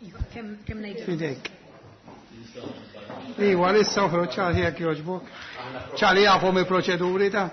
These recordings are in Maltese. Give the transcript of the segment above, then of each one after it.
Iva, kemm ngħidu? Fidejk. Iwa, issa uħroġ ċali jekk jogħġbok. ċali jafhom il-proċeduri ta'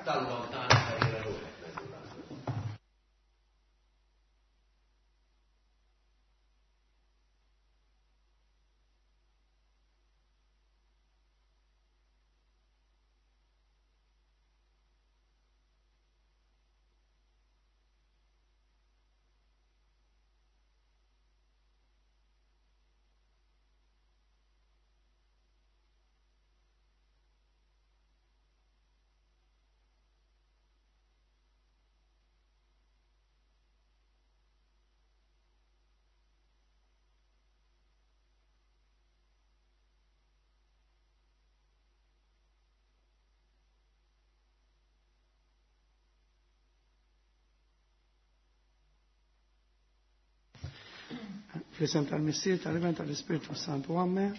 Fl-isem tal-Missier, tal-Iben, tal-Ispirtu Santu Amen.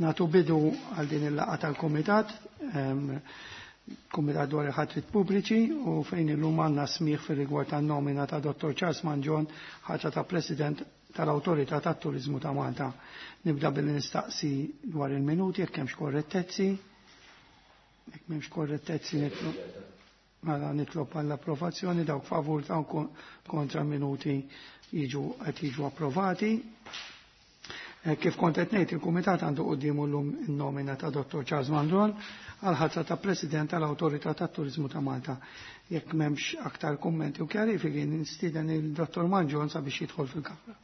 Natu bidu għal din il-laqgħa tal-Kumitat, Kumitat dwar il-ħatrit pubbliċi u fejn illum għandna smigħ fir-rigward tan-nomina ta' Dr. Charles Mangion ħatra ta' President tal-Awtorità tat-Turiżmu ta' Malta. Nibda billi nistaqsi dwar il-minuti jekk hemmx korrettezzi. Jekk m'hemmx korrettezzi nitlob mela nitlob għall-approvazzjoni dawk favur dawk kontra minuti jiġu qed jiġu approvati. Kif kont qed ngħid, il-Kumitat għandu quddiemu llum in-nomina ta' Dr. Charles Mandron għal ħatra ta' President tal-Awtorità tat-Turiżmu ta' Malta. Jekk m'hemmx aktar kummenti u kjarifiki, nistieden il-Dr. Mangion sabiex jidħol fil-Kamra.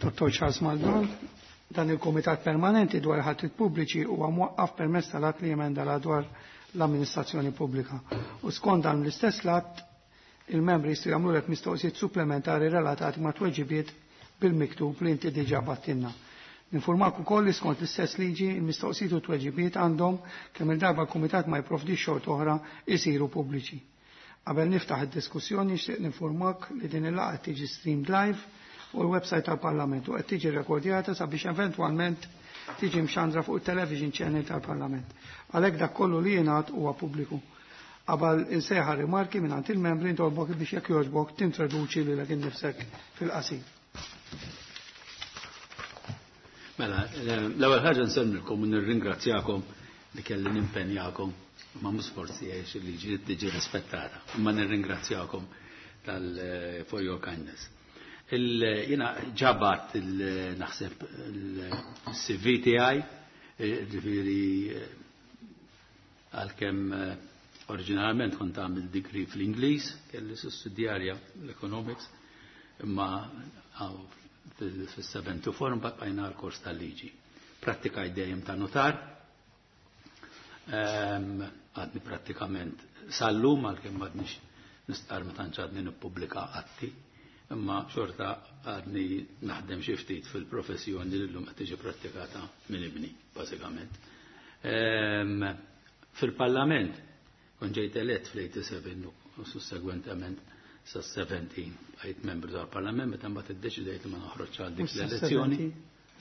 Dr. Charles Maldon, dan il-Kumitat Permanenti dwar ħatrit pubbliċi huwa mwaqqaf permezz tal-att li jemenda la dwar l-amministrazzjoni pubblika. U skont dan l-istess att, il-membri jistgħu jagħmlulek mistoqsijiet supplementari relatati ma' tweġibiet bil-miktub li inti diġà battilna. Ninformak ukoll li skont l-istess liġi il-mistoqsijiet u tweġibiet għandhom kemm il-darba l-Kumitat ma jipprovdix xort oħra jsiru pubbliċi. Qabel niftaħ id-diskussjoni nixtieq ninformak li din il-laqgħa tiġi streamed live fuq il-website tal-Parlament u qed tiġi rekordjata sabiex eventwalment tiġi mxandra fuq il-television channel tal-Parlament. Għalhekk dak kollu li jingħad huwa pubbliku. Qabel insejħa rimarki mingħand il-membri ntolbok biex jekk jogħġbok tintroduċi lilek innifsek fil-qasir. Mela, l-ewwel ħaġa nsemmilkom u nirringrazzjakom li kelli nimpenjakom ma mhux forsi għex il-liġi tiġi rispettata, imma nirringrazzjakom tal for your kindness. Jiena ġabat naħseb il-CV tiegħi, ġifieri għalkemm oriġinarjament kont għamil degree fl-Ingliż, kelli sussidjarja l-economics, imma fis-74 mbagħad bqajna l-kors tal-liġi. Prattikajt dejjem ta' notar, għadni prattikament sal-lum għalkemm m'għadniex nistqar ma tantx għadni nippubblika atti, imma xorta għadni naħdem xi ftit fil-professjoni li llum qed tiġi prattikata minn ibni, bażikament. Fil-Parlament kont ġejt elett fl-87 u sussegwentement sa 17 bqajt membru tal-Parlament meta mbagħad iddeċidejt li ma noħroġ għal dik l-elezzjoni.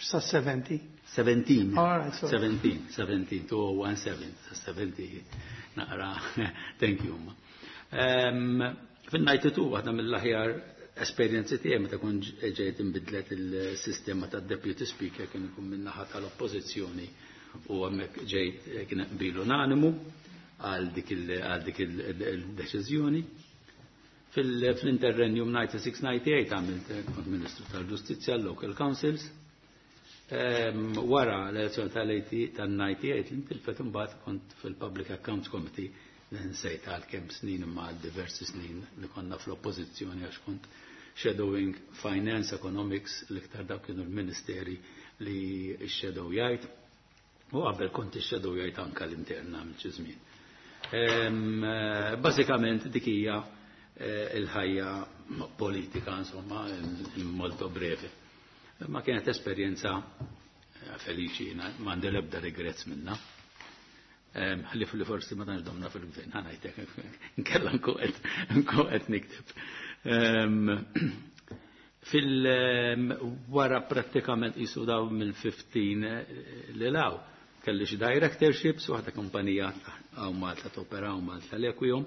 Sa 70? 17. All right, sorry. 17, 17, 2017, sa 70 naqra, thank you. Fin-92 waħda mill-aħjar esperjenzi tiegħi meta kont ġejt inbidlet il-sistema tad-deputy speaker kien ikun min-naħa tal-oppożizzjoni u hemmhekk ġejt kien qbil unanimu għal dik il-deċiżjoni. Fl-interrenjum 96-98 għamilt kont Ministru tal-Ġustizzja l-Local Councils. Wara l-elezzjoni tal-98 li ntilfet imbagħad kont fil-Public Accounts Committee nsejt għal kemm snin imma għal diversi snin li konna fl-oppożizzjoni għax kont shadowing finance, economics, l-iktar dawk kienu l-ministeri li x-shadow jgħid. U qabel kont ix-shadow jgħid anka l-interna minn xi żmien. Bażikament dik hija il-ħajja politika, insomma, molto breve. Ma kienet esperjenza feliċi, m'għandi l-ebda regrets minna. Ħlif li forsi ma tantx domna fil-gvern, ħa ngħidlek, nkella nkun qed nikteb. Fil-wara prattikament qisu daw mill-15 li law. Kelli xi directorships, waħda kumpanija hawn Malta topera hawn Malta l-Equium,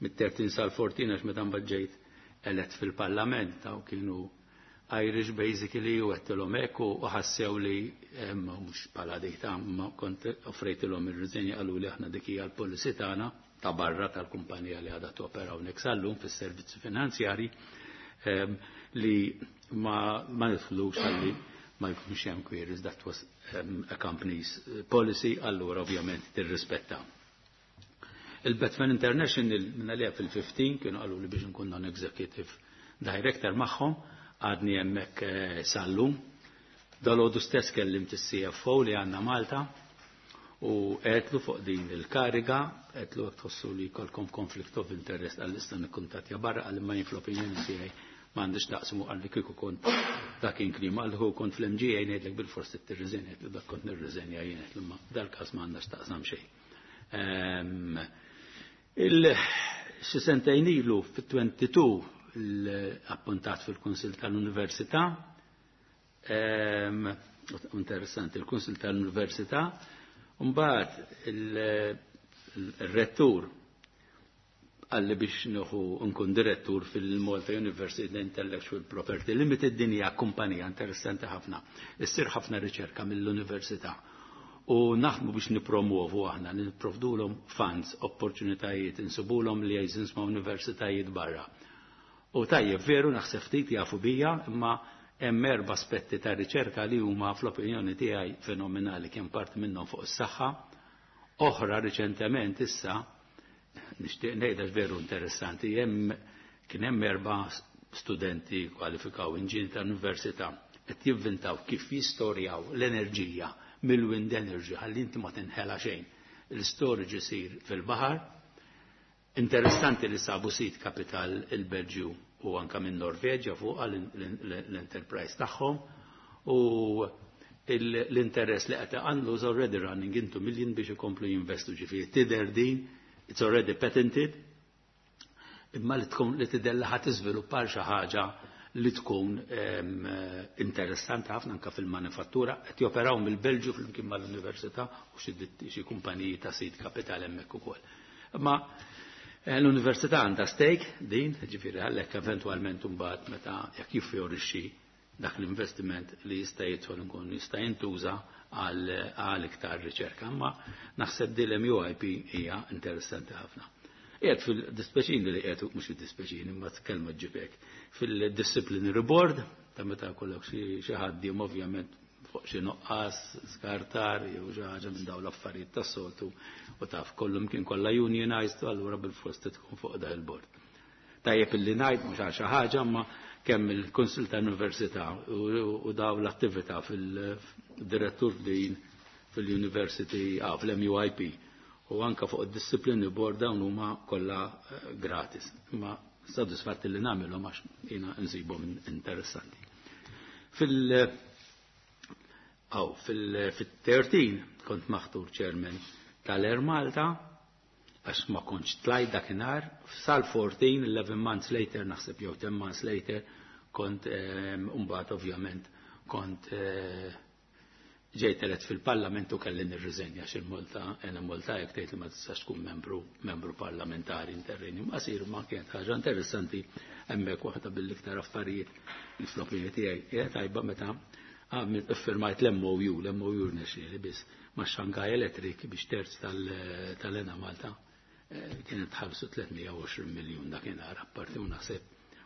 mit-13 sal-14 għax meta mbagħad ġejt elett fil-Parlament daw kienu Irish basically u għedtilhom hekk u ħassew li mhux bħala dejta ma kont offrejtilhom ir-riżenja, qalu li aħna dik hija l-policy tagħna ta' barra tal-kumpanija li għadha topera hawnhekk sal-lum fis-servizzi finanzjari li ma nidħlux għalli ma jkunx hemm queries, that was a company's policy, allura ovvjament tirrispetta. Il-Batman International minna li fil-15 kienu qalu li biex nkun non-executive director magħhom, għadni hemmhekk sal-lum. Dalgħodu stess kellimt is-CFO li għandna Malta u għedtlu fuq din il-kariga, għedtlu jekk tħossu li jkollkom conflict of interest għall-issa nikkuntattja barra, għal ma jien fl-opinjoni tiegħi m'għandix taqsmu, għalli kieku kont dak klima għal hu kont fl-MGA ngħidlek bil-forsi tirriżenja, għedtlu dak kont nirriżenja jien, għedtlu ma dal-każ m'għandax taqsam xejn. Xi sentejn ilu fit-22 l-appuntat fil-Kunsill tal-Università, interessanti, il-Kunsill tal-Università, mbagħad il-rettur għalli biex nieħu nkun direttur fil-Malta University Intellectual Property Limited. Din hija kumpanija interessanti ħafna. Issir ħafna riċerka mill-università. U naħdmu biex nipromuovu aħna, nipprovdulhom funds, opportunitajiet, insibulhom liaisons ma' universitajiet barra. U tajjeb, veru naħseb ftit jafu bija, imma hemm erba' aspetti ta' riċerka li huma fl-opinjoni tiegħi fenomenali, kien parti minnhom fuq is-saħħa, oħra riċentement issa nixtieq ngħidha veru interessanti, hemm kien hemm erba' studenti kwalifikaw inġin tal-università qed jivvintaw kif jistorjaw l-enerġija mill-wind energy ħalli inti ma tinħela xejn. Il-storage isir fil-baħar. Interessanti li sabu seed capital il-Belġju u anka minn Norveġja fuq l-enterprise tagħhom u l-interess li qed għandu is already running into million biex ikomplu jinvestu, ġifieri tidher din, it's already patented, imma li tkun li tidher li ħadd tiżviluppar xi ħaġa li tkun interessanti ħafna anka fil-manifattura, qed joperaw mill-Belġju flimkien mal-università u xi kumpaniji ta' seed capital hemmhekk ukoll. Imma l-università għandha stake din, ġifieri għalhekk eventwalment imbagħad meta jekk jiffjorixxi dak l-investiment li jista' jidħol nkun jista' jintuża għal iktar riċerka. Imma naħseb din l-MUIP hija interessanti ħafna. Qiegħed fil-dispeċini li qiegħed, mhux fid-dispeċini, imma tkellma ġibek fil-disciplinary board ta' meta kollok xi ħaddiem ovvjament fuq xi nuqqas, skartar, jew xi ħaġa minn dawn l-affarijiet tas-soltu u taf kollhom kien kollha unionized, allura bil-fost tkun fuq dak il-board. Tajjeb illi ngħid mhux għal xi ħaġa, imma kemm il-Kunsill tal-Università u daw l-attività fil-direttur din fil-University, fil-MUIP u anka fuq id-disciplinary board, dawn huma kollha gratis. Imma sodisfatti li nagħmilhom għax jiena nsibhom interessanti. Fil-13 kont maħtur chairman tal-Air Malta, għax ma kontx tlajt dakinhar, sal-14, 11 months later, naħseb jew 10 months later, kont mbagħad ovvjament kont ġejt elett fil-parlament u kelli nirriżenja xi Malta, ena Malta jekk tgħid li ma tistax tkun membru parlamentari interrenju qasir, ma kienet ħaġa interessanti hemmhekk, waħda bil-iktar affarijiet li fl-opinjoni tiegħi hija tajba meta iffirmajt l-MOU, l-MOU rnexxieli biss ma' Shanghai Electric biex terz tal-Ena Malta kienet tħallsu 320 miljun dakinhar apparti u naħseb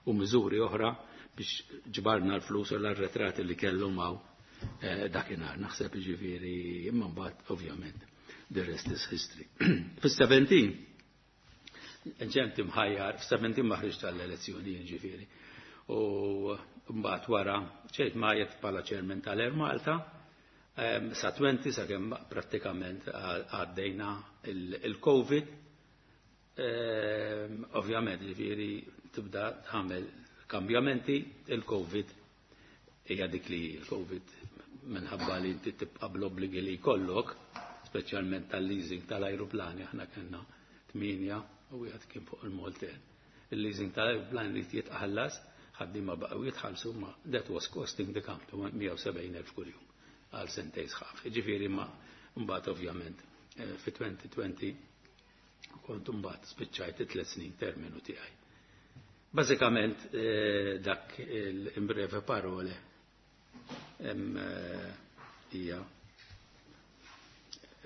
u miżuri oħra biex ġbarna l-flus u l-arretrati li kellhom hawn dakinhar naħseb, ġifieri, imma mbagħad ovvjament the rest is history. Fis-17 ġemt imħajjar, f-17 ma ħriġt tal-elezzjoni ġifieri. U mbagħad wara ġejt majet bħala chairman tal-Air Malta sa 20 sakemm prattikament għaddejna il-Covid. Ovvjament ġifieri tibda tagħmel kambjamenti, il-Covid hija dik li il-Covid minħabba li inti tibqa' bl-obbligi li jkollok, speċjalment tal-leasing tal-ajruplani, aħna kellna 8 u wieħed kien fuq il-Malta. Il-leasing tal-ajruplani li jitqallas. Ħaddiema baqgħu jitħallsu, ma that was costing the company 170,000 kuljum għal sentejn sħaħ. Ġifieri ma mbagħad ovvjament fi 2020 kont mbagħad spiċċajt 3 snin terminu tiegħi. Bażikament dak in breve parole hija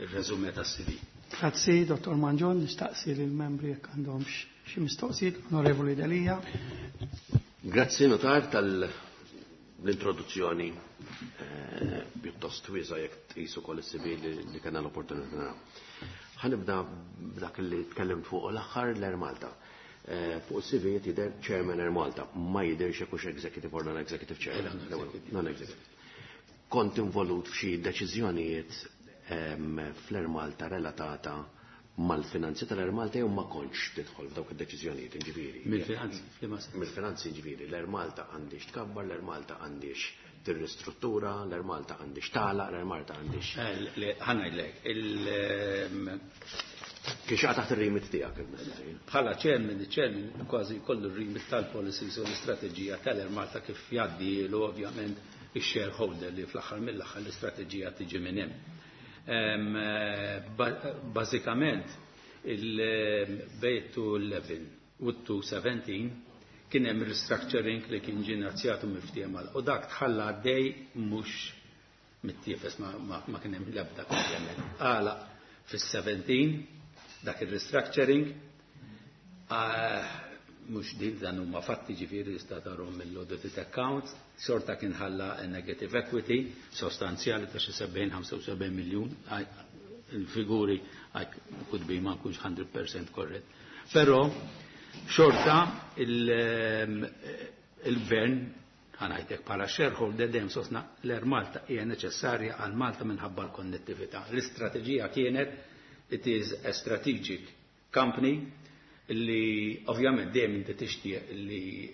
il-resume tas-CV. Grazzi, Dottor Mangion, nistaqsi lill-membri jekk għandhom xi mistoqsijiet. Onorevoli Delia. Grazzi, notar, tal-introduzzjoni pjuttost wiesgħa jekk tqisu kol is-CV li kellna l-opportunità naraw. Ħa nibda b'dak li tkellimt fuq l-aħħar, l-Air Malta. Fuq is-CV jidher Chairman Air Malta, ma jidherx jekk hux executive or non-executive chairman. Non-executive. Kont involut f'xi deċiżjonijiet fl-Air Malta relatata mal-finanzi tal-Air Malta jew ma kontx tidħol f'dawk id-deċiżjonijiet, ġifieri? Mill-finanzi, f'liema sens? Mill-finanzi, ġifieri, l-Air Malta għandix tkabbar, l-Air Malta għandix tirristruttura, l-Air Malta għandix tagħlaq, l-Air Malta għandix. Le, ħa ngħidlek, Kien xaqa taħt ir-remit tiegħek il-mistoqsija. Bħala chairman, il-chairman kważi kollu r-remit tal-policies u l-istrateġija tal-Air Malta kif jgħaddilu ovvjament il-shareholder li fl-aħħar mill-aħħar l-istrateġija tiġi minn hemm. Bażikament il-bejn 211 u 217 kien hemm restructuring li kien ġie inizjatu miftiehem u dak tħalla għaddej mhux mittiefes, ma kien hemm l-ebda komplement. Għala fis-17 dak il-restructuring, mhux din, dan huma fatti, ġifieri jista' tarhom mill-audited accounts, xorta kien ħalla negative equity sostanzjali ta' xi 70-75 miljun, il-figuri could be ma nkunx 100% correct. Però xorta il-gvern, ħa ngħidlek, bħala shareholder dejjem sostna l-Air Malta hija neċessarja għal Malta minħabba l-konnettività. L-istrateġija kienet it is a strategic company li ovvjament dejjem inti tixtieq li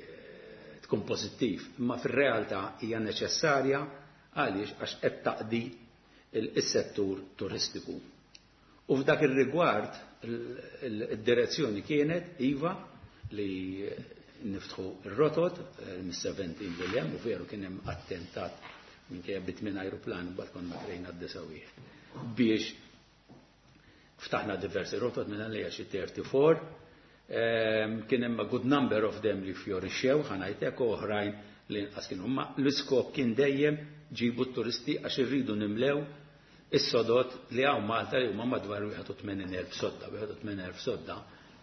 tkun pożittiv, imma fir-realtà hija neċessarja. Għaliex? Għax qed taqdi is-settur turistiku. U f'dak ir-rigward id-direzzjoni kienet iva li niftħu ir-rotot mis-17 lil hemm, u veru kien hemm attentat minkejja bit-tmien ajruplan mbagħad konna krejna d-disa' wieħed biex ftaħna diversi rotot minn għalija xi 34. Kien hemm a good number of them li fjorixxew, ħa ngħidlek, u oħrajn li inqas kienu. Ma l-iskop kien dejjem ġibu t-turisti għax irridu nimlew is-sodot li hawn Malta li huma madwar 81,000 sodda, 81,000 sodda,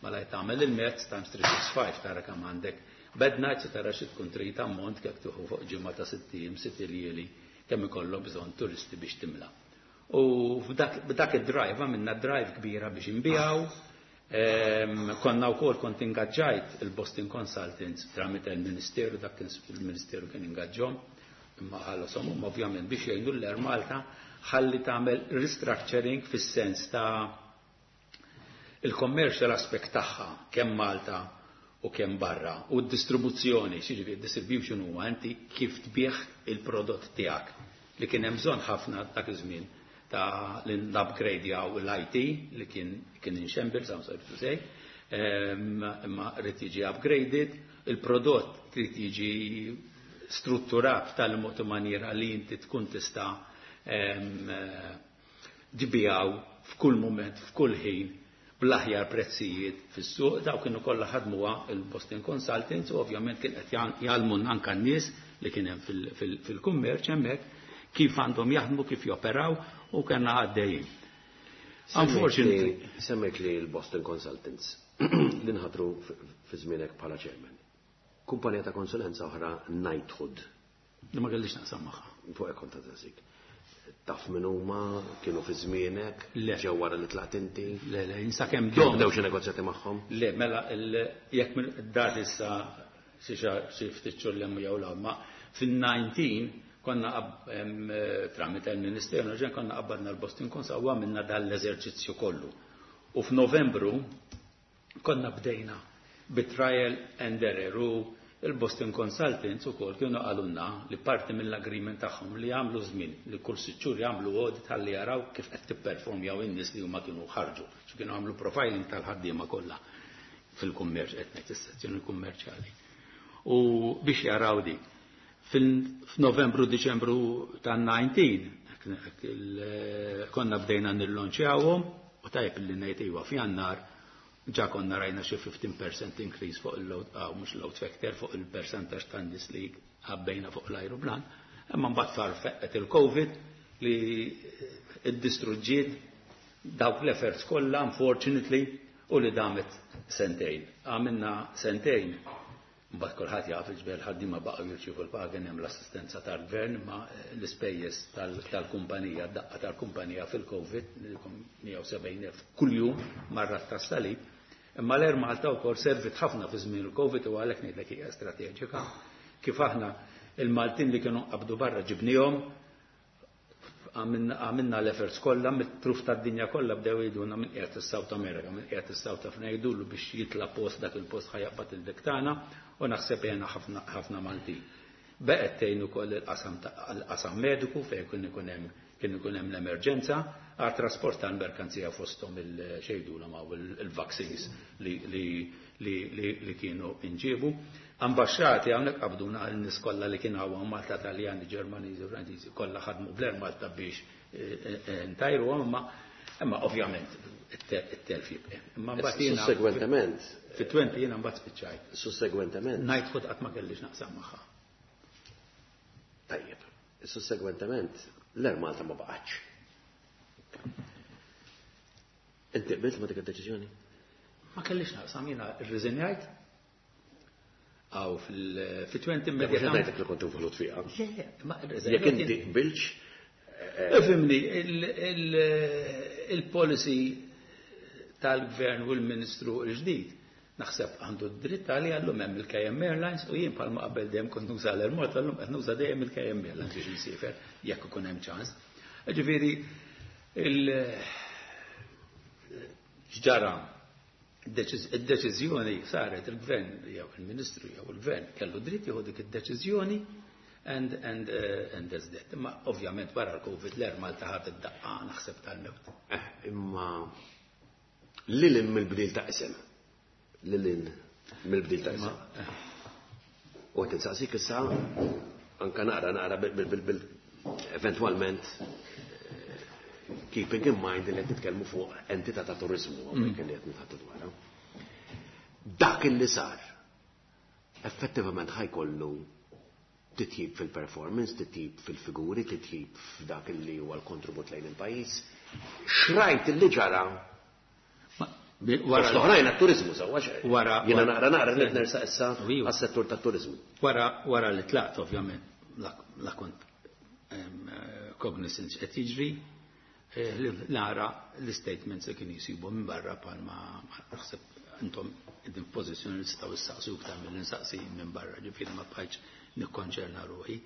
mela tagħmel il-mezz times 365 tara kemm għandek bed nights u tara xi tkun trid ammont kif tieħu fuq ġimgħa ta' 6 ijiem, 6 iljieli, kemm ikollok bżonn turisti biex timla. U f'dak id-drive għamilna drive kbira biex inbiegħu. Konna wkoll kont ingaġġajt il-Boston Consultants tramite il-Ministeru, dak kien il-Ministeru kien ingaġġhom, imma ħallasom, ovvjament, biex jgħinu l-Air Malta ħalli tagħmel restructuring fis-sens ta' il-commercial aspect tagħha kemm Malta u kemm barra u d-distribuzzjoni, xiġifieri distribution huwa inti kif tbieħ il-prodott tiegħek, li kien hemm bżonn ħafna dak iż-żmien ta' l-upgrade l-IT li kien in shambles, I'm sorry to say, imma rrid jiġi upgraded, il-prodott trid jiġi strutturat tal-mod u maniera li inti tkun tista' tbigħu f'kull moment, f'kull ħin, bl-aħjar prezzijiet fis-suq. Daw kienu kollha ħadmuha il-Boston Consultants u ovvjament kien qed jgħallmu anke n-nies li kien hemm fil-kummerċ hemmhekk kif għandhom jaħdmu, kif joperaw, u kellna għaddejjin. Unfortunately. Semmejt li l-Boston Consultants li nħatru fi żmienek bħala chairman. Kumpanija ta' konsulenza oħra, Knighthood. Li ma kellix naqsam magħha. Fuq hekk kont għażik. Taf min huma, kienu fi żmienek, Le. ġew wara li tlaqt inti? Le, jinsa kemm Kienu dom. bdew xi negozjati magħhom? Le, mela, jekk minn dat issa xi ftit xhur l jew l ma fin-19 konna tramite il-Ministeru, nerġa' konna qabbadna l-Boston Consult u għamilna dan l-eżerċizzju kollu. U f'Novembru konna bdejna bit-trial and error u il-Boston Consultants ukoll kienu qalulna li parti mill-agreement tagħhom li jagħmlu żmien li kull 6 xhur jagħmlu audit ħalli jaraw kif qed tipperformjaw in-nies li huma kienu ħarġu. Xi kienu għamlu profiling tal-ħaddiema kollha fil-kummerċ, qed ngħid is-sezzjoni kummerċjali. U biex jaraw dik. F'Novembru, Diċembru tan-19 konna bdejna nillonċjawhom u tajb li ngħid iva f'Jannar ġa konna rajna xi 15% increase fuq il-load, mhux load factor, fuq il-percentage ta' nies li għabbejna fuq l-ajruplan. Imma mbagħad sar feqqet il-Covid li iddistruġġiet dawk l-efforts kollha, unfortunately, u li damet sentejn. Għamilna sentejn. Mbagħad kulħadd jaf il-ġbel ħaddiema baqgħu jirċievu l-paga, hemm l-assistenza tal-gvern, ma l-ispejjeż tal-kumpanija, daqqa tal-kumpanija fil-Covid, 170,000 kuljum marra tas-salib. Imma l-Air Malta wkoll servit ħafna fi żmien il-Covid u għalhekk ngħidlek hija strateġika. Kif aħna il-Maltin li kienu qabdu barra ġibnihom, għamilna l-efforts kollha mit-truf tad-dinja kollha bdew jgħidulna minn qiegħed is-South America, minn qiegħed is-South Africa, jgħidulu biex jitla' post dak il-post ħajaqbad il-dik tagħna u naħseb jena ħafna Maltin. Beqgħet tgħin ukoll il-qasam mediku fejn kien ikun hemm l-emerġenza għal trasport tal-merkanzija fosthom il-xejdulhom hawn il-vaccines li kienu inġiebu. Ambasċati hawnhekk qabduna n-nies kollha li kienu hawn Malta, Taljani, Ġermaniżi, Franċiżi, kollha ħadmu bl-Air Malta biex ntajruhom, imma ovvjament it-telf jibqa'. Imma mbagħad jiena Sussegwentement. Fit-20 jiena mbagħad spiċċajt. Sussegwentement. Knighthood qatt ma kellix naqsam magħha. Tajjeb. Sussegwentement l-Air Malta ma baqgħetx. Inti qbilt ma dik id-deċiżjoni? Ma kellix naqsam, jiena rriżenjajt. Aw fil-20 Le, mhux immedjatament. ngħidlek li kont involut fiha. Le, ma rriżenjajt. Jekk inti qbilx, Ifhimni, il-policy tal-gvern u l-ministru l-ġdid naħseb għandu d-dritt għalli għallum hemm il-KM Airlines u jien bħalma qabel dejjem kont nuża l-Air Malta, llum qed nuża dejjem il-KM Airlines biex nsifer jekk ikun hemm ċans. Ġifieri ġara id-deċiżjoni saret il-gvern jew il-ministru jew il-gvern kellu dritt jieħu dik id-deċiżjoni and that's that. Imma ovvjament wara l-Covid l-Air Malta ħadet daqqa naħseb tal-mewt. Imma lil hinn mill-bdil ta' isem. Lil hinn mill-bdil ta' isem. U qed insaqsik issa anka naqra bil eventwalment keeping in mind li qed nitkellmu fuq entità ta' turizmu hawnhekk li qed nitħaddtu dwarha. Dak illi sar effettivament ħajkollu titjib fil-performance, titjib fil-figuri, titjib f'dak illi huwa l-kontribut lejn il-pajjiż. Xrajt illi ġara Wara l-oħrajn għat-turizmu sewwa xejn. Wara Jiena wara naqra naqra nersa issa Iva. għas-settur tat-turizmu. Wara li tlaqt ovvjament la kont cognizant qed jiġri, li nara l-statements li kien jisibu minn barra bħalma naħseb intom qegħdin f'pożizzjoni li tistgħu issaqsu iktar milli nsaqsi minn barra, ġifieri ma bqajtx nikkonċerna ruħi.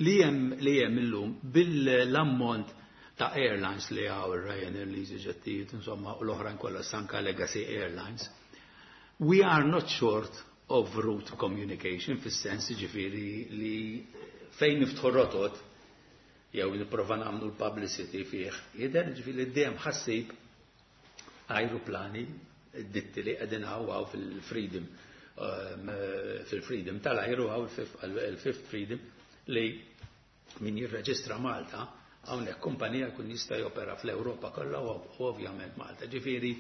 Li hemm illum bil-ammont ta' airlines li hawn ir-Ryanair, l-EasyJet, insomma, u l-oħrajn kollha sanka Legacy Airlines, we are not short of route communication fis-sens ġifieri li fejn niftħu rotot jew nipprova nagħmlu l-publicity fih, jidher ġifieri dejjem ħassib ajruplani ditti li qegħdin hawn fil-freedom tal-ajru hawn il-Fifth Freedom li min jirreġistra Malta hawnhekk kumpanija jkun jista' jopera fl-Ewropa kollha u ovvjament Malta. Ġifieri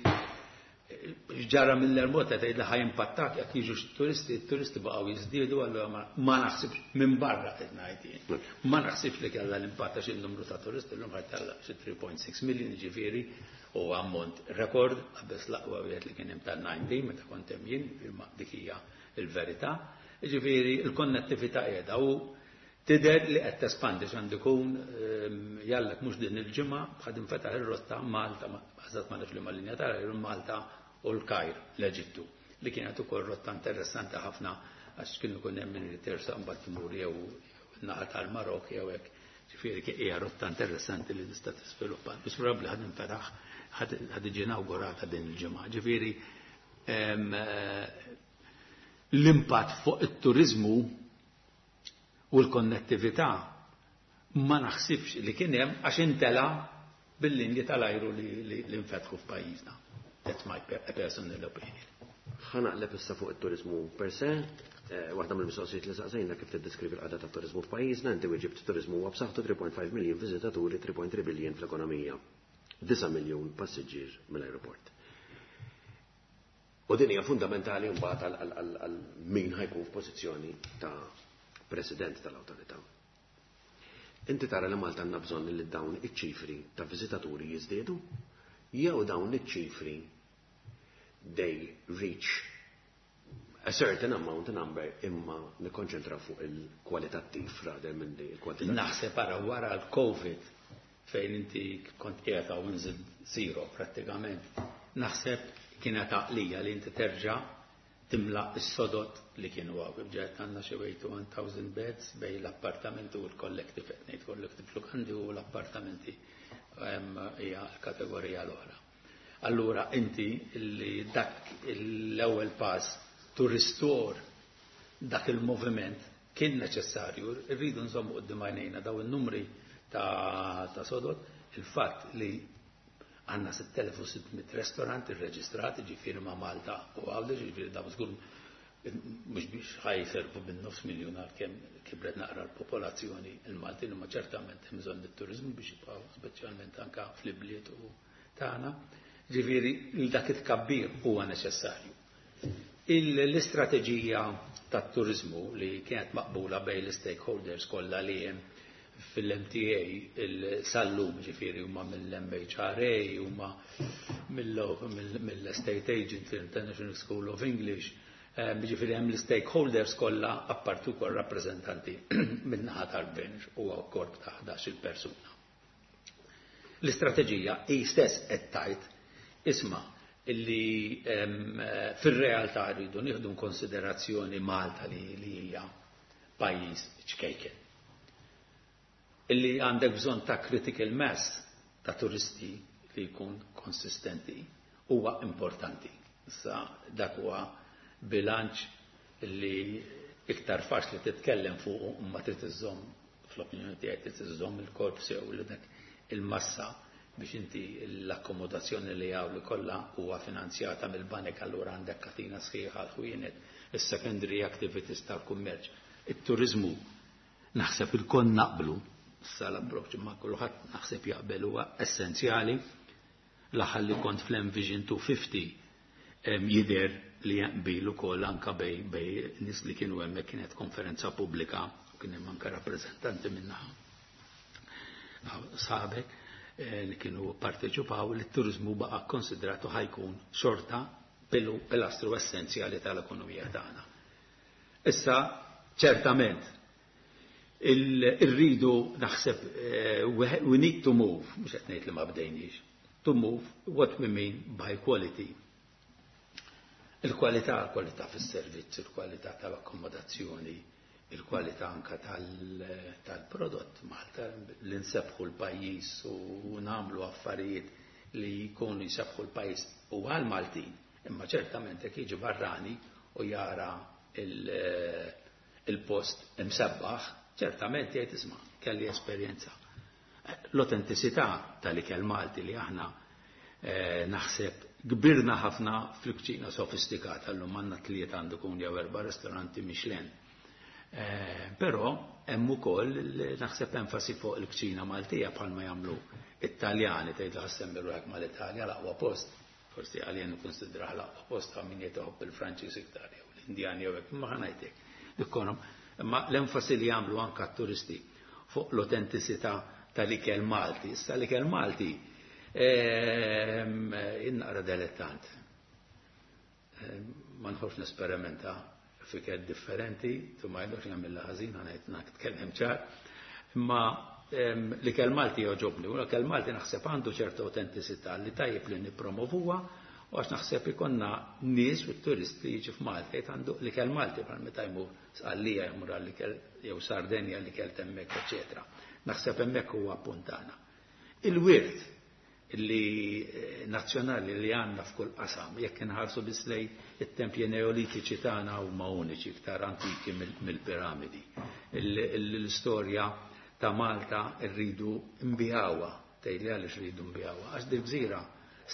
ġara mill-Air Malta tgħid li ħajimpattak jekk jiġu turisti, t-turisti baqgħu jiżdiedu, allura ma naħsibx minn barra qed ngħid jien. Ma naħsibx li kellha l-impatt għax il-numru ta' turisti llum ħajtella xi 3.6 million, ġifieri u ammont rekord qabeż l-aqwa wieħed li kien hemm tal-19 meta kont hemm jien, imma dik hija l-verità. Ġifieri l-konnettività qiegħda u tidher li qed tespandi x'għandu jkun jallek mhux din il-ġimgħa bħad infetaħ ir-rotta Malta, eżatt ma nafx li ma linja tal-ajru Malta u l-Kajr, l-Eġittu, li kienet ukoll rotta interessanti ħafna għax kienu jkun hemm min irid jersaq mbagħad imur jew naħa tal-Marok jew hekk. Ġifieri kien hija rotta interessanti li tista' tiżviluppa. Biss probabbli ħad infetaħ, ħad iġi inawgurata din il-ġimgħa. Ġifieri l-impatt fuq it-turiżmu u l-konnettività ma naħsibx li kien hemm għax intela bil-linji tal-ajru li nfetħu f'pajjiżna. That's my personal opinion. Ħa naqleb issa fuq it-turizmu per se. Waħda mill-mistoqsijiet li saqsejna kif tiddeskrivi l-qagħda tat-turiżmu f'pajjiżna, inti weġibt turiżmu huwa b'saħħtu 3.5 miljun viżitaturi, 3.3 billion fl-ekonomija, 9 miljun passiġġier mill-ajruport. U din hija fundamentali mbagħad għal min ħa jkun f'pożizzjoni ta' president tal-awtorità. Inti tara li Malta għandna bżonn li dawn iċ-ċifri ta' viżitaturi jiżdiedu jew dawn iċ-ċifri they reach a certain amount number imma nikkonċentraw fuq il-kwalitattiv rather minn il-kwantitattiv? Naħseb ara wara l-Covid fejn inti kont qiegħed hawn inżil zero prattikament, naħseb kienet għaqlija li inti terġa' timla s-sodod li kienu hawn. Ġejt għandna xi 81,000 beds bejn l-appartamenti u l-collective, qed ngħid collective lukandi u l-appartamenti hija l-kategorija l-oħra. Allura inti li dak l-ewwel pass to restore dak il-moviment kien neċessarju, rridu nżommu quddiem għajnejna daw il-numri ta' sodod, il-fatt li għandna 6600 restaurant irreġistrati, ġifieri ma' Malta u Għawdex, ġifieri daw żgur mhux biex ħa jservu bin-nofs miljun għal kemm kibret naqra l-popolazzjoni il-Maltin, imma ċertament hemm bżonn it-turiżmu biex jibqgħu speċjalment anke fl-ibliet u tagħna. Ġifieri dak it-tkabbir huwa neċessarju. L-istrateġija tat-turiżmu li kienet maqbula bejn l-stakeholders kollha li hemm fil-MTA il-sallum, ġifieri huma mill-MHRA, huma mill-Estate Agent, l-International School of English, ġifieri hemm l-stakeholders kollha apparti wkoll rappreżentanti min-naħa tal-gvern u korp ta' 11 persuna. L-istrateġija hi stess qed tgħid isma' illi fir-realtà rridu nieħdu konsiderazzjoni Malta li hija pajjiż ċkejken. Illi għandek bżonn ta' critical mass ta' turisti li jkun konsistenti huwa importanti. Issa dak huwa bilanċ li iktar faċli titkellem fuq imma trid iżżomm, fl-opinjoni tiegħi trid iżżomm il-korp sew li dak il-massa biex inti l-akkomodazzjoni li hawn li kollha huwa finanzjata mill-banek, allura għandek katina sħiħa l-ħwienet, is-secondary activities tal-kummerċ. It-turizmu naħseb il-kon naqblu, issa l-approċ ma kulħadd naħseb jaqbel huwa essenzjali. L-aħħar li kont fl-Envision 250 jidher li jaqbil ukoll anka bejn nies li kienu hemmhekk, kienet konferenza pubblika u kien hemm anke rappreżentanti minnaħa sabek li kienu parteċipaw li t-turizmu baqa konsidratu ħa jkun xorta pilastru essenzjali tal-ekonomija tagħna. Issa, ċertament, irridu naħseb we need to move, mhux qed ngħid li ma bdejniex, to move what we mean by quality. Il-kwalità, il-kwalità fis-servizz, il-kwalità tal-akkomodazzjoni, il-kwalità anka tal-prodott Malta, li nsebħu l-pajjiż u nagħmlu affarijiet li jkunu jsebħu l-pajjiż u għal-Maltin, imma ċertament jekk jiġi barrani u jara il-post imsebbaħ, ċertament jgħid isma' kelli esperjenza. L-autenticità tal-ikel Malti li aħna naħseb kbirna ħafna fil-kċina sofistikata, llum għandna tliet għandu kun jew erba' ristoranti Michelin. Però hemm ukoll naħseb enfasi fuq il-kċina Maltija bħalma jagħmlu Italjani, tgħid ħassem ruħek mal-Italja l-aqwa post. Forsi għalija nikkonsidrah l-aqwa post ta' min jitħobb il-Franċiż iktar jew l-Indjani jew hekk, imma ħa ngħidlek. Dikkonom, imma l-enfasi li jagħmlu anke t-turisti fuq l-autenticità tal-ikel Malti. Issa l-ikel Malti innaqra dilettant. Ma nħobbx nesperimenta f'ikel differenti, tu ma jgħidux nagħmilha ħażin, ħa ngħid nitkellem ċar. Imma l-ikel Malti jogħġobni, u l-ikel Malti naħseb għandu ċerta autenticità li tajjeb li nippromovuha, u għax naħseb ikonna nies u turisti jiġi f'Malta jgħid għandu l-ikel Malti bħal meta jmur Sqallija jmur għall-ikel jew Sardenja l-ikel hemmhekk, eċetera. Naħseb hemmhekk huwa puntana. Il-wirt li nazzjonali li għandna f'kull qasam, jekk inħarsu biss lejn it-tempji neolitiċi tagħna huma uniċi iktar antiki mill-piramidi. L-istorja ta' Malta rridu nbigħuha, tgħidli għaliex rridu nbigħuha, għax di gżira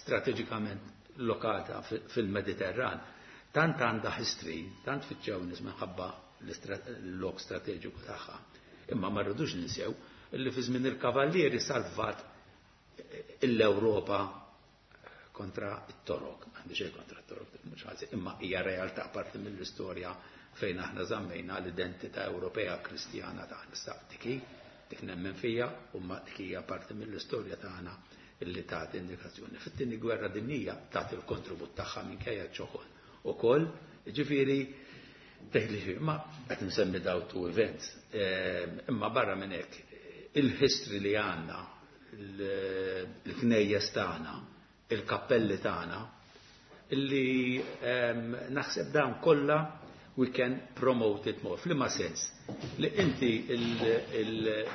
strateġikament lokata fil-Mediterran. Tant għandha history, tant fittxew nies minħabba l-lok strateġiku tagħha. Imma ma rridux ninsew illi fi żmien il-Kavallieri salvat l-Ewropa kontra t-Torok. Għandi xejn kontra t-Torok, mhux ħażin, imma hija realtà parti mill-istorja fejn aħna żammejna l-identità Ewropea Kristjana tagħna. Issa dik hi, dik nemmen fija, u ma dik hija parti mill-istorja tagħna illi tagħti indikazzjoni. Fit-tieni gwerra dinjija tagħti l-kontribut tagħha minkejja ċ-ċokon ukoll, ġifieri tgħid li ma qed nsemmi daw two events, imma barra minn hekk il-history li għandna, il-knejjes tagħna, il-kappelli tagħna, illi naħseb dawn kollha we can promote it more. F'liema sens? Li inti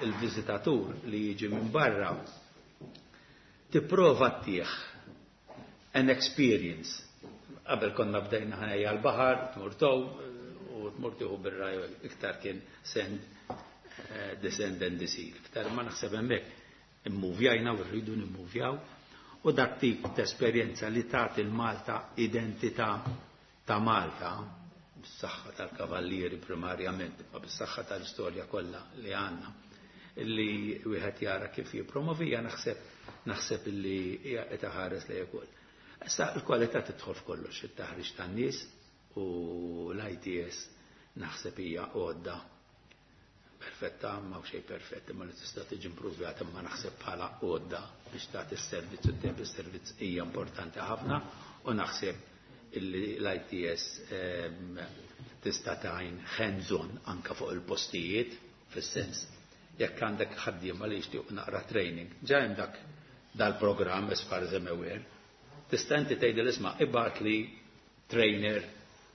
il-viżitatur li jiġi minn barra tipprova ttih an experience. Qabel konna bdejna ħanejja l-baħar, tmur tow, u tmur tieħu bir-raj iktar kien send, descend and deceive. Iktar ma naħseb hemmhekk immuvjajna u rridu nimmuvjaw u dak tip ta' esperjenza li tagħti l-Malta identità ta' Malta bis-saħħa tal-kavallieri primarjament, ma bis-saħħa tal-istorja kollha li għandna illi wieħed jara kif jippromovija naħseb illi hija qed iħares lejn ukoll. Issa l-kwalità tidħol f'kollox, it-taħriġ tan-nies u l-ITS naħseb hija għodda perfetta, ma xejn perfett, imma li tista' tiġi improvjata, imma naħseb bħala għodda biex tagħti s-servizz u tejjeb is-servizz hija importanti ħafna u naħseb illi l-ITS tista' tgħin hands-on anka fuq il-postijiet, fis-sens jekk għandek ħaddiema li jixtiequ naqra training, ġa hemm dak dal-programm as far as I'm aware, tista' inti tgħidil isma' ibgħat li trainer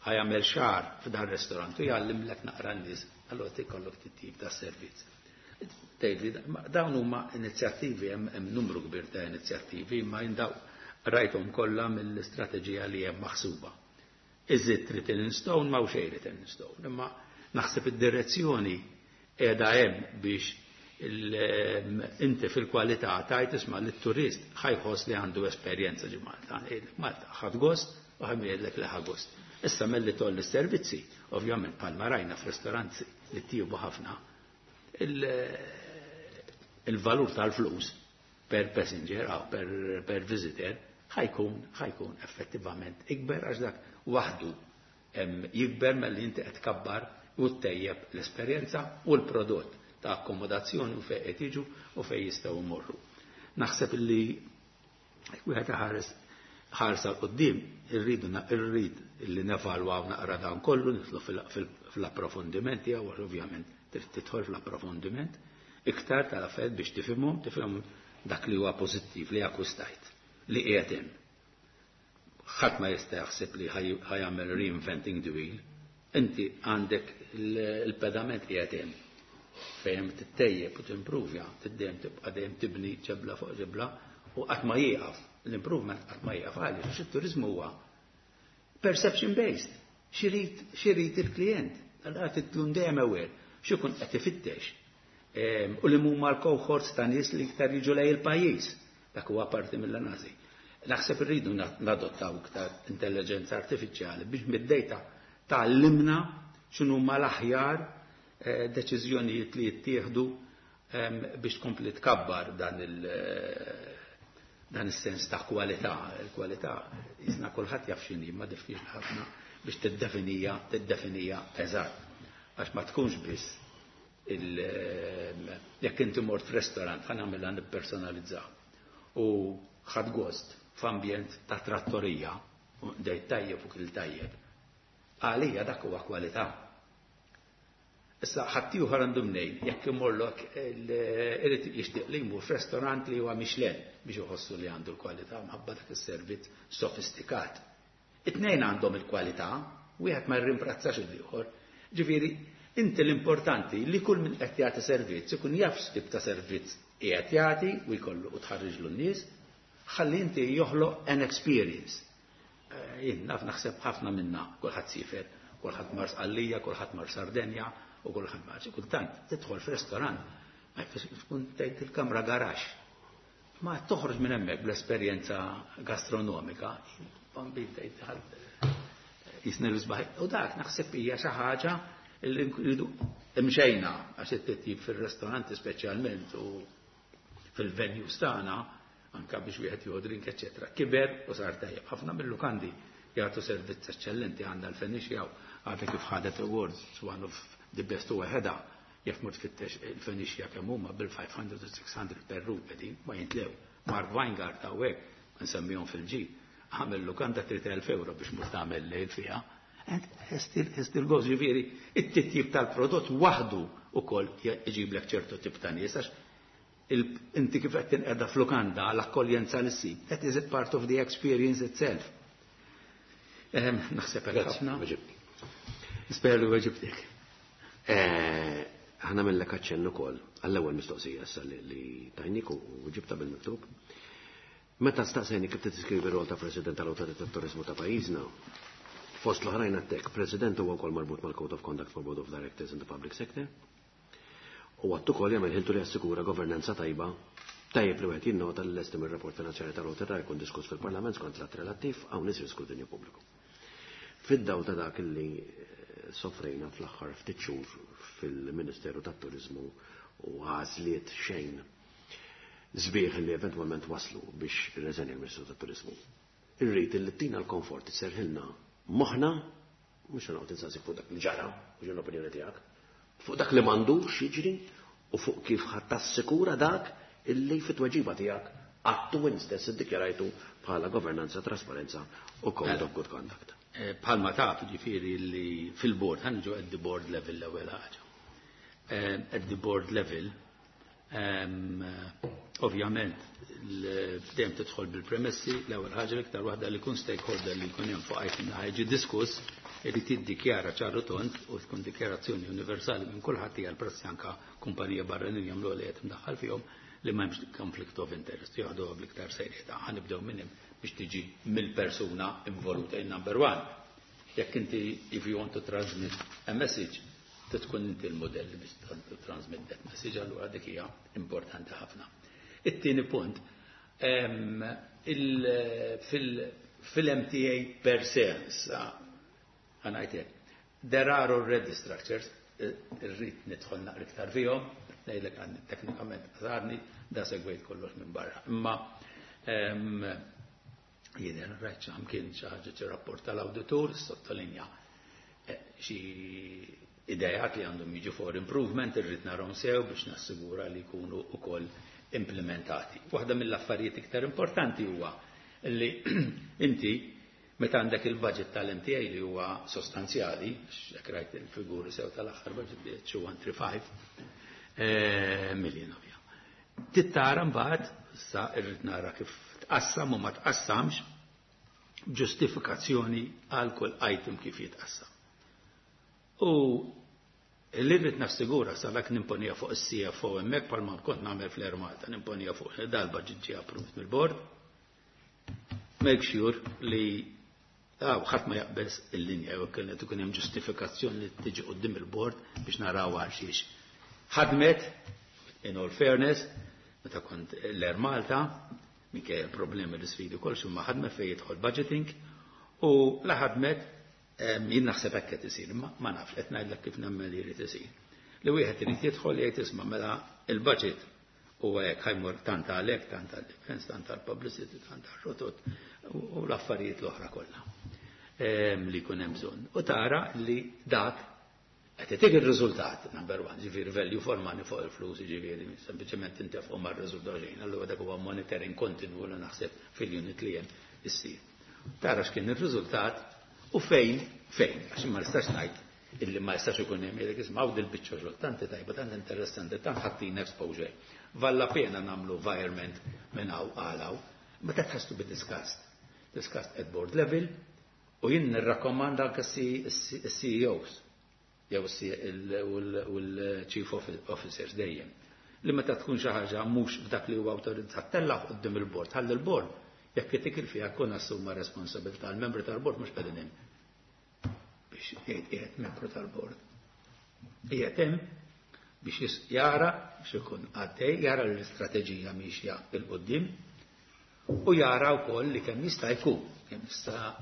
ħa jagħmel xahar f'dan restaurant u jgħallimlek naqra n-nies, allura tikollok tip ta' servizz. Tgħidli dawn huma inizjattivi, hemm numru kbir ta' inizjattivi, imma jindaw rajthom kollha mill-istrateġija li hemm maħsuba. Is it written in stone? Ma xejn written in stone, imma naħseb id-direzzjoni qiegħda hemm biex inti fil-kwalità tajt isma' li t-turist ħa jħoss li għandu esperjenza ġi Malta. Malta ħadd gost u ħa jgħidlek li ħa gost. Issa melli tolli s-servizzi, ovvjament bħalma rajna f'ristoranti li tjiebu ħafna, il-valur tal-flus per passenger aw per visitor ħa jkun effettivament ikber għax dak waħdu jikber malli inti qed tkabbar u ttejjeb l-esperjenza u l-prodott ta' akkomodazzjoni u fejn qed jiġu u fejn jistgħu jmorru. Naħseb illi wieħed ħares ħarsa quddiem irridu irrid illi nevalwaw naqra dan kollu, nidħlu fl-approfondimenti għaw ovvjament trid tidħol fl-approfondiment iktar tal-affarijiet biex tifhimhom, tifhimhom dak li huwa pożittiv li akkwistajt li qiegħed hemm. Ħadd ma jista' jaħseb li ħa jagħmel reinventing the wheel. Inti għandek il-pedament qiegħed hemm fejn tittejjeb u timprovja, tiddejjem tibqa' dejjem tibni ġebla fuq ġebla u qatt ma jieqaf. L-improvement qatt ma jieqaf għaliex għax it-turizmu huwa perception based. X'irid il-klient. Allora tkun dejjem aware x'ikun qed ifittex. U li huma l-cohorts ta' nies li iktar jiġu lejn il-pajjiż. Dak huwa parti mill-analiżi. Naħseb irridu nadottaw iktar intelligenza artifiċjali biex mid-data tgħallimna x'inhu l-aħjar deċiżjonijiet li jittieħdu biex tkompli tkabbar dan is-sens ta' kwalità. Il-kwalità jisna kulħadd jaf x'inhi, ma diffiċli ħafna biex tiddefinija eżatt. Għax ma tkunx biss jekk inti mort f'restaurant, ħa nagħmilha nippersonalizzaw. U ħadt gost f'ambjent ta' trattorija, u dejt tajjeb u kil tajjeb. Għalija dak huwa kwalità. Issa ħaddieħor għandu mnejn, jekk imorlok irid jixtieq li jmur f'restaurant li huwa Michelin biex iħossu li għandu l-kwalità mħabba dak is-servizz sofistikat. It-tnejn għandhom il-kwalità, wieħed ma jirrimplazzax il-ieħor. Ġifieri, inti l-importanti li kull min qed jagħti servizz ikun jaf x'tip ta' servizz qiegħed jagħti u jkollu u tħarriġlu n-nies, ħalli inti joħloq an experience. Jien naf naħseb ħafna minna, kulħadd siefer, kulħadd mar Sqallija, kulħadd mar Sardenja u kulħadd mar. Kultant tidħol f'restorant, ma jfissirx tkun tgħid il-kamra garax. Ma toħroġ minn hemmhekk bl-esperjenza gastronomika, bambin tgħid Jisna l-isbaħ. U dak naħseb hija xi ħaġa li nridu imxejna għax it-titjib fil-ristoranti speċjalment u fil-venues tagħna anka biex wieħed jieħu drink eċetera. Kiber u sar tajjeb. Ħafna mill-lukandi jagħtu servizz eċċellenti, għandha l-Phoenicia għadha kif ħadet awards, one of the best u waħedha. Jekk mur tfittex il-Phoenicia kemm huma bil-500 u 600 per room qegħdin ma jintlew. Mark Weingart hawnhekk nsemmihom fil-ġi għamel lukanda 3000 euro biex mur tagħmel lejl fiha. And still goes, ġifieri, it-titjib tal-prodott waħdu ukoll iġiblek ċertu tip ta' nies, għax inti kif qed tinqeda f'lukanda l-akkoljenza li ssib, that is a part of the experience itself. Naħseb hekk ħafna. Nisper li weġibtek. Ħa nagħmillek aċċenn ukoll għall-ewwel mistoqsija issa li tajnik u ġibta bil-miktub. Meta staqsejni kif tiskrivi rol ta' President tal-Awtorità tat-Turiżmu ta' pajjiżna, fost l-oħrajn għedtlek, President huwa wkoll marbut mal-Code of Conduct for Board of Directors in the Public Sector. U għattu kol jagħmel ħiltu li jassikura governanza tajba. Tajjeb li wieħed jinnota li l-estim ir-rapport finanzjarju tal-awtorità jkun diskuss fil-Parlament skont l-att relattiv hawn isir skrutinju pubbliku. Fid-dawl ta' dak li soffrejna fl-aħħar ftit xhur fil-Ministeru tat-Turiżmu u għażliet xejn sbieħ li eventwalment waslu biex irreżenja l-Ministru tat-Turiżmu. Irrid li tina l-komfort isserħilna moħħna, mhux noqgħod insaqsik fuq dak li ġara, mhux l-opinjoni tiegħek, fuq dak li m'għandux jiġri u fuq kif ħa tassikura dak illi fit-tweġiba tiegħek għattu int stess iddikjarajtu bħala governanza, trasparenza u code of good conduct. Bħalma taf, ġifieri li fil-board, ħa niġu at the board level l-ewwel ħaġa. At the board level, ovvjament, dejjem tidħol bil-premessi, l-ewwel ħaġa l-iktar waħda li kun stakeholder li jkun hemm fuq item li ħa jiġi diskuss, irid jiddikjara ċaru tond u tkun dikjarazzjoni universali minn kulħadd, hija l-prassi anka kumpanija barranin jagħmlu li qed imdaħħal fihom li m'hemmx conflict of interest, jaħdu bl-iktar serjetà. Ħa nibdew minn hemm biex tiġi mill-persuna involuta in number one. Jekk inti, if you want to transmit a message, tkun inti l-modell biex to transmit that message, allura dik hija importanti ħafna. It-tieni punt, fil-MTA per se, issa, ħa ngħidlek, there are already structures, irrid nidħol naqra iktar fihom, ngħidlek għandi teknikament għazarni, da segwejt kollox minn barra. Imma jidher rajt xi kien xi ħaġa xi rapport tal-awditur sottolinja xi idejat li għandhom jiġu for improvement, irrid narahom sew biex nassigura li jkunu wkoll implementati. Waħda mill-affarijiet iktar importanti huwa li inti meta għandek il-budget tal-MTA li huwa sostanzjali, jekk rajt il-figuri sew tal-aħħar budget li 135 million ovvja. Tittara mbagħad sa irrid nara kif tqassam u ma tqassamx, ġustifikazzjoni għal kull item kif jitqassam. U li rrid nassigura sa dak nimponija fuq is-CFO hemmhekk bħalma kont nagħmel fl-Air Malta, nimponija fuq dal-budget ġie approved mill-board. Make sure li ħadd ma jaqbeż il-linja jew kienet ikun hemm ġustifikazzjoni li tiġi quddiem il-board biex naraw għal xiex. Ħadmet, in all fairness, meta kont l-Air Malta, minkejja problemi l sfidi kol ma ħadmet fejn jidħol budgeting u la ħadmet jien naħseb hekk qed isir, ma nafx, qed ngħidlek kif nemmen li jrid isir. Li wieħed irid jidħol jgħid, isma', mela il-budget huwa hekk, ħa jmur tant għalhekk, tant għal-defense, tant għal-publicity, tant għal-rotot u l-affarijiet l-oħra kollha li jkun hemm bżonn. U tara li dak qed itik ir-riżultat, number one, ġifieri value for money fuq il-flus, ġifieri sempliċement intefqu mar-riżultat xejn, allura dak huwa monitoring kontinu li naħseb fil-unit li hemm issir. Tara x'kien ir-riżultat u fejn, għax ma nistax ngħid illi ma jistax ikun hemm jgħidlek, isma', hawn dil-biċċa xogħol tant tajba, tant interessanti, tant ħattin exposure. Valla pena nagħmlu environment minn hawn għal hawn, ma that has to be discussed. Discussed at board level u jien nirrakkomanda anke CEOs jew u l-chief officers dejjem li meta tkun xi ħaġa mhux f'dak li huwa awtorizzat, tella' quddiem il-bord, ħalli l-bord jekk itik fiha kun assuma responsabilità. Il-membri tal-bord mhux qegħdin hemm biex jgħid qiegħed membru tal-bord. Qiegħed hemm biex jara biex ikun għaddej, jara l-istrateġija miexja 'il quddiem u jara wkoll li kemm jista' jkun, kemm jista'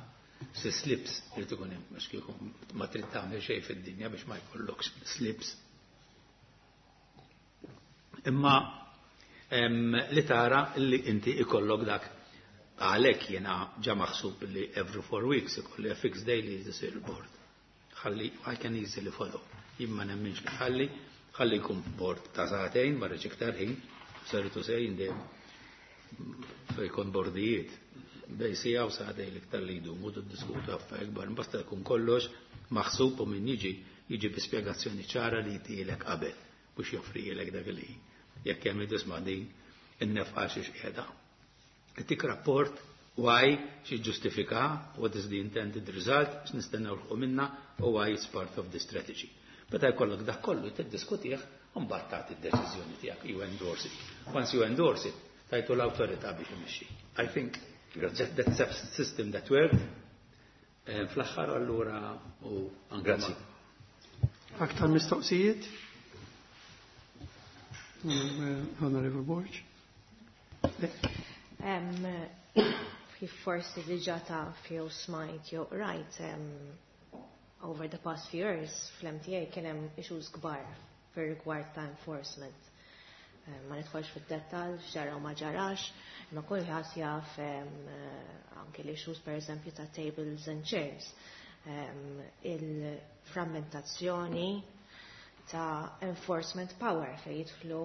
Si slips irid ikun hemm għax kieku ma trid tagħmel xejn fid-dinja biex ma jkollokx slips. Imma li tara li inti ikollok dak għalhekk jiena ġa maħsub li every 4 weeks ikolli a fixed day li jisir board. Ħalli I can easily follow. Jien ma nemminx li ħalli jkun board ta' sagħtejn, ma rridx iktar ħin, sorry to say, dejjem fejn bordijiet bejn siegħa u sagħtejn l-iktar li jdumu tiddiskutu affarijiet kbar, basta jkun kollox maħsub u min jiġi jiġi bi spjegazzjoni ċara li jtilek qabel biex joffrilek dak li jekk hemm tisma' din in-nefqa xiex qiegħda. Tik rapport why xi ġustifika, what is the intended result, x'nistennew nilħqu minna u why it's part of the strategy. Meta jkollok dak kollu tiddiskutih, u mbagħad tagħti d-deċiżjoni tiegħek, you endorse it. Once you endorse it, tajtu l-awtorità biex imexxi. I think that's a system that worked. Fl-aħħar allura u anke Grazzi. Aktar mistoqsijiet? Honorable Borg. Kif forsi diġà taf jew smajt jew rajt, over the past few years fl-MTA kien hemm issues kbar fir-rigward ta' enforcement. Ma nidħolx fid-dettall x'ġara u ma ġarax, imma kulħadd jaf anke l-issues, per eżempju, ta' tables and chairs. Il-frammentazzjoni ta' enforcement power fej jidħlu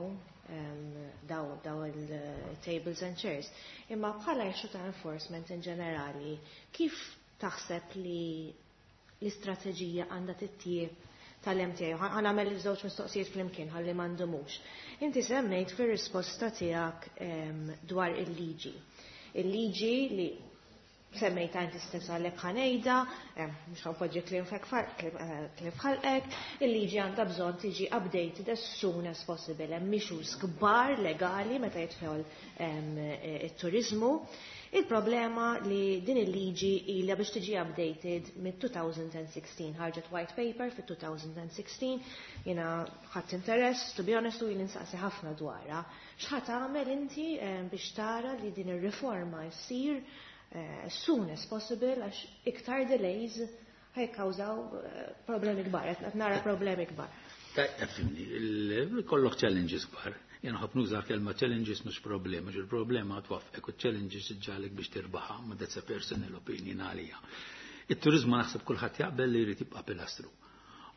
daw il-tables and chairs. Imma bħala issue ta' enforcement in ġenerali, kif taħseb li l-istrateġija għandha titjieb tal-MTA? Ħa nagħmel żewġ mistoqsijiet flimkien ħalli ma ndumux. Inti semmejt fir-risposta tiegħek dwar il-liġi. Il-liġi li semmejta inti stess, għalhekk ħa ngħidha, mhux ħa npoġġi kliem f'ħalqek, il-liġi għandha bżonn tiġi updated as soon as possible. Hemm issues kbar legali meta jidħol it-turizmu. Il-problema li din il-liġi ilha biex tiġi updated mid-2016, ħarġet white paper fit-2016, jiena ħadt interess, to be honest, u jien insaqsi ħafna dwarha. X'ħa tagħmel inti biex tara li din ir-riforma jsir as soon as possible, għax iktar delays ħa jikkawżaw problemi kbar, qed nara problemi kbar? Fhimni, kollok challenges kbar. Jena ħobb nuża kelma challenges, mhux problema, għax il-problema twaffqek u challenges iġġagħlek biex tirbaħa, ma that's a personal opinion għalija. Il-turizmu naħseb kulħadd jaqbel li jrid jibqa' pilastru.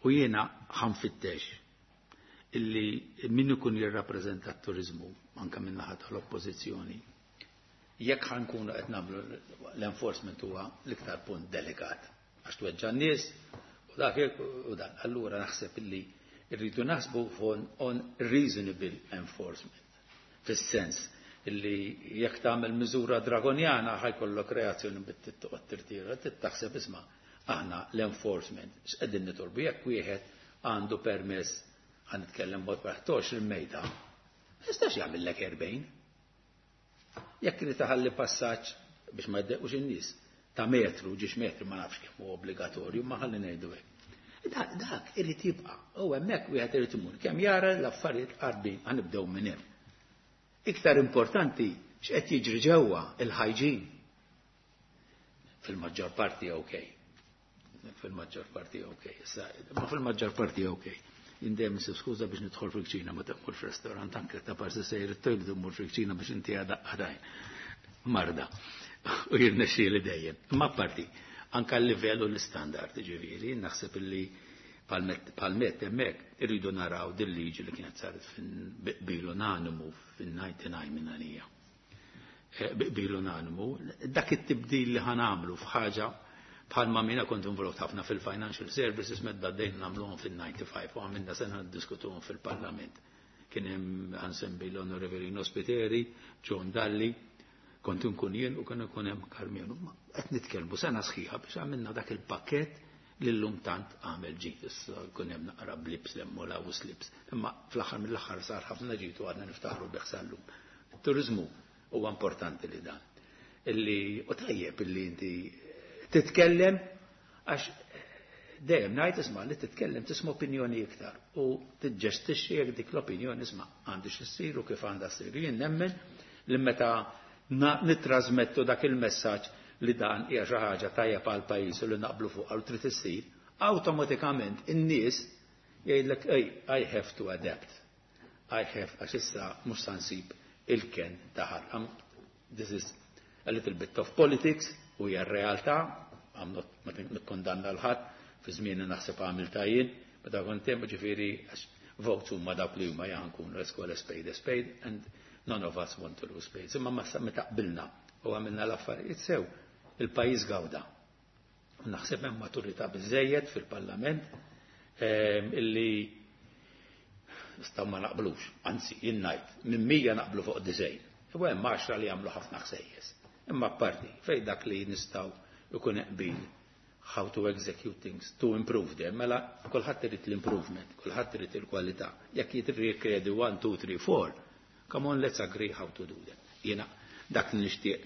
U jiena ħa nfittex illi min ikun jirrappreżenta t-turizmu anke minn naħa tal-oppożizzjoni. Jekk ħa nkunu qed nagħmlu l-enforcement, huwa l-iktar punt delikat għax tweġġa' n-nies u dak u dan. Allura naħseb illi rridu naħsbu on reasonable enforcement. Fis-sens illi jekk tagħmel miżura dragonjana ħa jkollok reazzjoni bit-toqgħod tirtira, taħseb, isma', aħna l-enforcement x'qegħdin nitolbu? Jekk wieħed għandu permess, ħa nitkellem b'mod praħtox, il-mejda, ma jistax jagħmellek 40. Jekk irid taħalli passaġġ biex ma jdejqux in-nies ta' metru, ġiex metri, ma nafx kemm hu obbligatorju, ma ħalli ngħidu hekk. Dak irid jibqa'. U hemmhekk wieħed irid imur kemm jara l-affarijiet qarbin, ħa nibdew minn hemm. Iktar importanti x'qed jiġri ġewwa, il-hygiene. Fil-maġġor parti ok. Fil-maġġor parti ok. Issa, ma fil-maġġor parti ok. Indem insib skuża biex nidħol fil-kċina ma temmur fil-restaurant, anke ta' parsi sejr it-toilet immur fil-kċina biex inti għada għadajn. Marda. U jirnexxieli dejjem. Ma parti, anka l-livell u l-standard, ġifieri, naħseb illi palmet hemmhekk irridu naraw din liġi li kienet saret bil unanimu fin-99 minn għalija. Bil unanimu, dak it-tibdil li ħa nagħmlu f'ħaġa bħalma mina kont involut ħafna fil-financial services medda dejn nagħmluhom fil-95 u għamilna sena niddiskutuhom fil-parlament. Kien hemm, ħa nsemmi, l-Onorevoli Spiteri, John Dalli, kont nkun jien u kien ikun hemm Karmenu. Ma qed nitkellmu sena sħiħa biex għamilna dak il-pakket li llum tant għamel ġid. Issa jkun hemm naqra blips l u slips. Imma fl-aħħar mill-aħħar sar ħafna ġid u għadna niftaħru bih sal-lum. Il-turizmu huwa importanti li dan. Illi u tajjeb illi inti titkellem, għax dejjem ngħid, isma', li titkellem tisma' opinjoni iktar u tiġġestixxi jekk dik l-opinjoni, isma', għandi x'issir u kif għandha ssir. Jien nemmen li meta nittrażmettu dak il-messaġġ. li dan hija xi ħaġa tajjeb għal pajjiż u li naqblu fuq u trid issir, awtomatikament in-nies jgħidlek ej, I have to adapt. I have, għax issa mhux sa nsib il-ken taħar. This is a little bit of politics u hija r-realtà, I'm not ma nikkondanna l-ħadd, fi żmien naħseb għamil jien, meta kont hemm ġifieri votes huma dawk li huma jankun let's call a spade a spade and none of us want to lose spades. Imma meta qbilna u għamilna l-affarijiet sew, il-pajjiż gawda. U naħseb hemm maturità biżejjed fil-Parlament illi nistgħu ma naqblux, anzi jien ngħid minn 100 naqblu fuq 90. U hemm 10 li jagħmlu ħafna ħsejjes. Imma apparti fejn dak li nistgħu ikun qbil how to execute things, to improve them, mela kulħadd irid l-improvement, kulħadd irid il-kwalità. Jekk jitrikjedi 1, 2, 3, 4, come on, let's agree how to do that. Jiena dak li nixtieq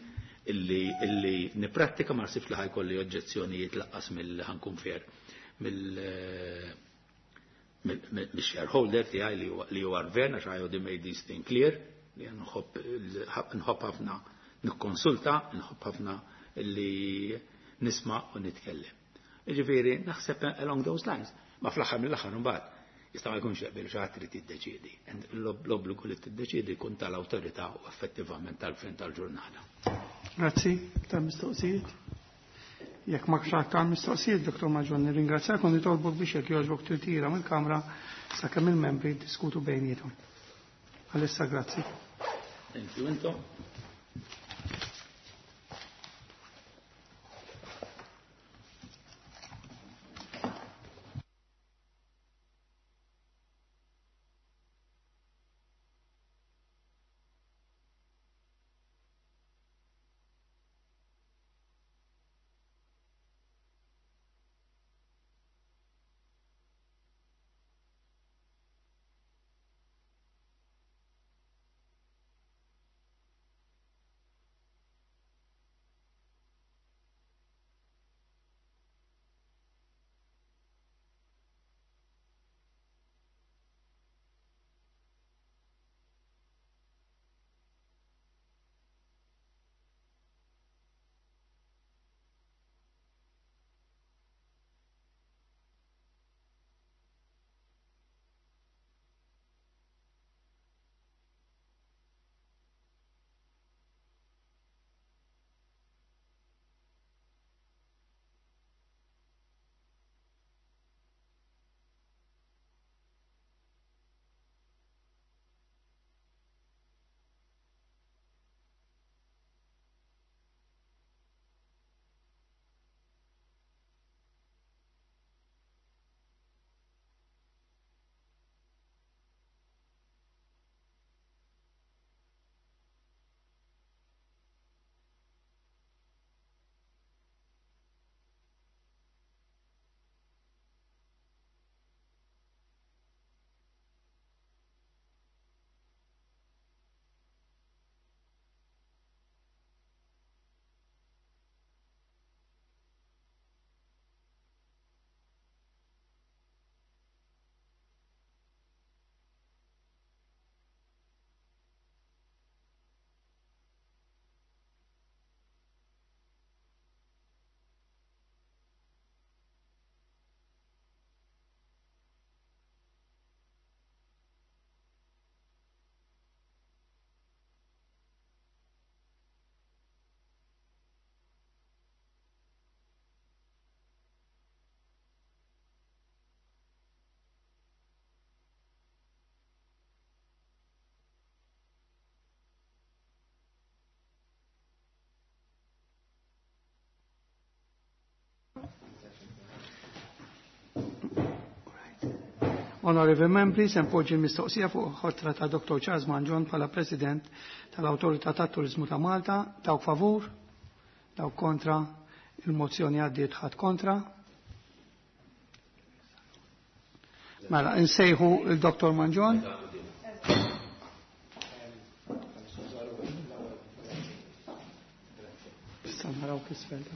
illi niprattika ma nsibx li ħa jkolli oġġezzjonijiet laqqas mill ħa nkun fair mill-shareholder tiegħi li huwa gvern għax I already made this thing clear li nħobb ħafna nikkonsulta, nħobb ħafna li nisma' u nitkellem. Ġifieri naħseb along those lines. Ma fl-aħħar mill-aħħar imbagħad jista' ma jkunx jaqbel xi ħadd trid tiddeċiedi. L-obbligu li tiddeċiedi jkun tal-awtorità u effettivament tal-fin tal-ġurnata. Grazzi, tal-mistoqsijiet. Jekk ma ta' mistoqsijiet, Dr. Mangion, nirringrazzjak u nitolbok biex jekk jogħġbok tirtira mill-Kamra sakemm il-membri diskutu bejniethom. Għalissa grazzi. Thank you, Into. Honorable Membri, se npoġġi l-mistoqsija fuq ħotra ta' Dr. Charles Mangion bħala President tal-Awtorità tat-Turiżmu ta' Malta. Dawk favur, dawk kontra, il-mozzjoni għaddiet ħadd kontra. Mela, insejħu il-Dr. Mangion. Issa naraw kisfel.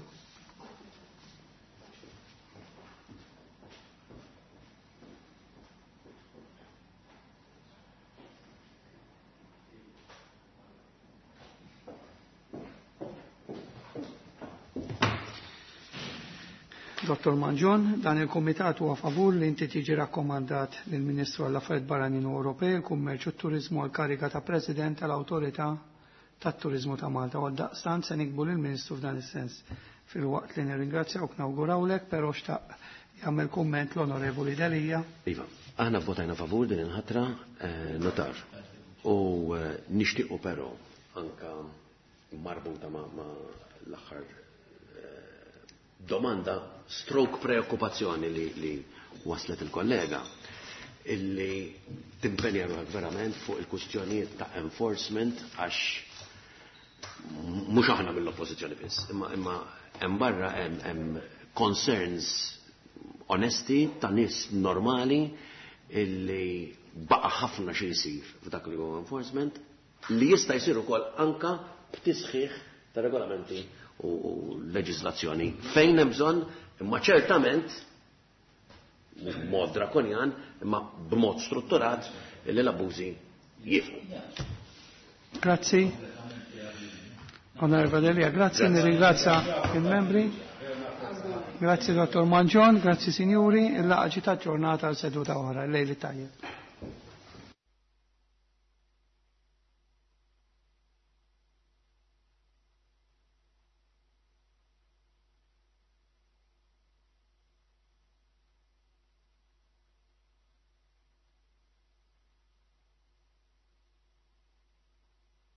Dottor Mangion, dan il-Kumitat huwa favur li inti tiġi rakkomandat lill-Ministru għall-Affarijiet Barranin u Ewropej, il-Kummerċ u t-Turiżmu għall-kariga ta' President tal-Awtorità tat-Turiżmu ta' Malta. U għaldaqstant se nikbu lill-Ministru f'dan is-sens. Filwaqt li nirringrazzjawk nawgurawlek, però xtaq jagħmel kumment l-Onorevoli Delia. Iva, aħna vvotajna favur din il-ħatra notar. U nixtiequ però anka marbuta ma' l-aħħar domanda stroke preokkupazzjoni li, li waslet il-kollega illi timpenja ruħek verament fuq il-kustjonijiet ta' enforcement għax mhux aħna mill-oppożizzjoni biss, imma imma hemm barra hemm concerns onesti ta' nies normali illi baqa' ħafna xi jsir f'dak li huwa enforcement li jista' jsir ukoll anka b'tisħiħ ta' regolamenti u leġislazzjoni fejn hemm bżonn, imma ċertament mhux b'mod drakonjan, imma b'mod strutturat li l-abbużi jieqfu. Grazzi. Onorevole Delia, grazzi, nirringrazzja il-membri. Grazzi Dottor Mangion, grazzi signori, il-laqgħa ġiet aġġornata għal seduta oħra, lejl it-tajjeb.